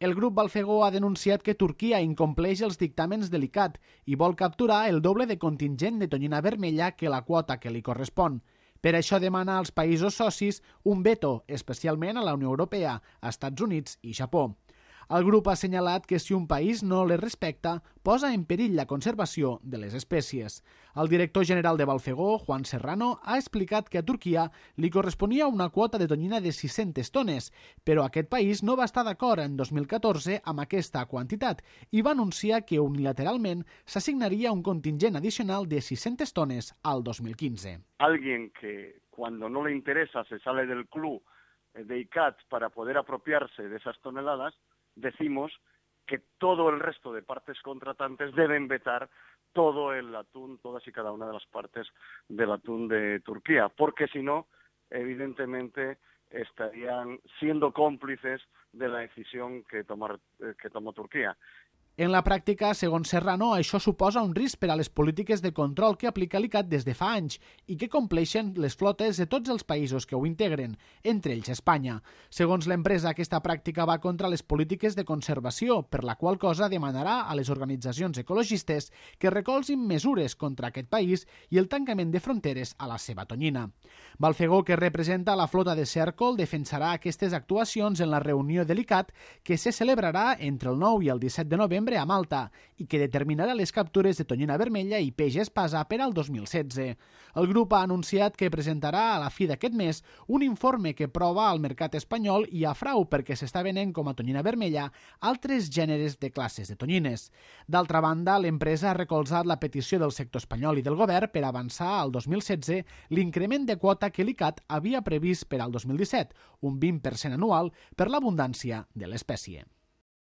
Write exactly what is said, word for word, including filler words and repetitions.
El grup Balfegó ha denunciat que Turquia incompleix els dictàmens de l'I C A T i vol capturar el doble de contingent de tonyina vermella que la quota que li correspon. Per això demana als països socis un veto, especialment a la Unió Europea, Estats Units i Japó. El grup ha assenyalat que si un país no les respecta, posa en perill la conservació de les espècies. El director general de Balfegó, Juan Serrano, ha explicat que a Turquia li corresponia una quota de tonyina de sis-centes tones, però aquest país no va estar d'acord en dos mil catorze amb aquesta quantitat i va anunciar que unilateralment s'assignaria un contingent adicional de sis-centes tones al dos mil quinze. Alguien que cuando no le interesa se sale del club de I C A T para poder apropiarse de esas toneladas, decimos que todo el resto de partes contratantes deben vetar todo el atún, todas y cada una de las partes del atún de Turquía, porque si no, evidentemente estarían siendo cómplices de la decisión que, tomar, que tomó Turquía. En la pràctica, segons Serrano, això suposa un risc per a les polítiques de control que aplica l'I C A T des de fa anys i que compleixen les flotes de tots els països que ho integren, entre ells Espanya. Segons l'empresa, aquesta pràctica va contra les polítiques de conservació, per la qual cosa demanarà a les organitzacions ecologistes que recolzin mesures contra aquest país i el tancament de fronteres a la seva tonyina. Balfegó, que representa la flota de cèrcol, defensarà aquestes actuacions en la reunió de l'I C A T que se celebrarà entre el nou i el disset de novembre a Malta i que determinarà les captures de tonyina vermella i peix espasa per al dos mil setze. El grup ha anunciat que presentarà a la fi d'aquest mes un informe que prova al mercat espanyol i a frau perquè s'està venent com a tonyina vermella altres gèneres de classes de tonyines. D'altra banda, l'empresa ha recolzat la petició del sector espanyol i del govern per avançar al dos mil setze l'increment de quota que l'I C A T havia previst per al dos mil disset, un vint per cent anual per l'abundància de l'espècie.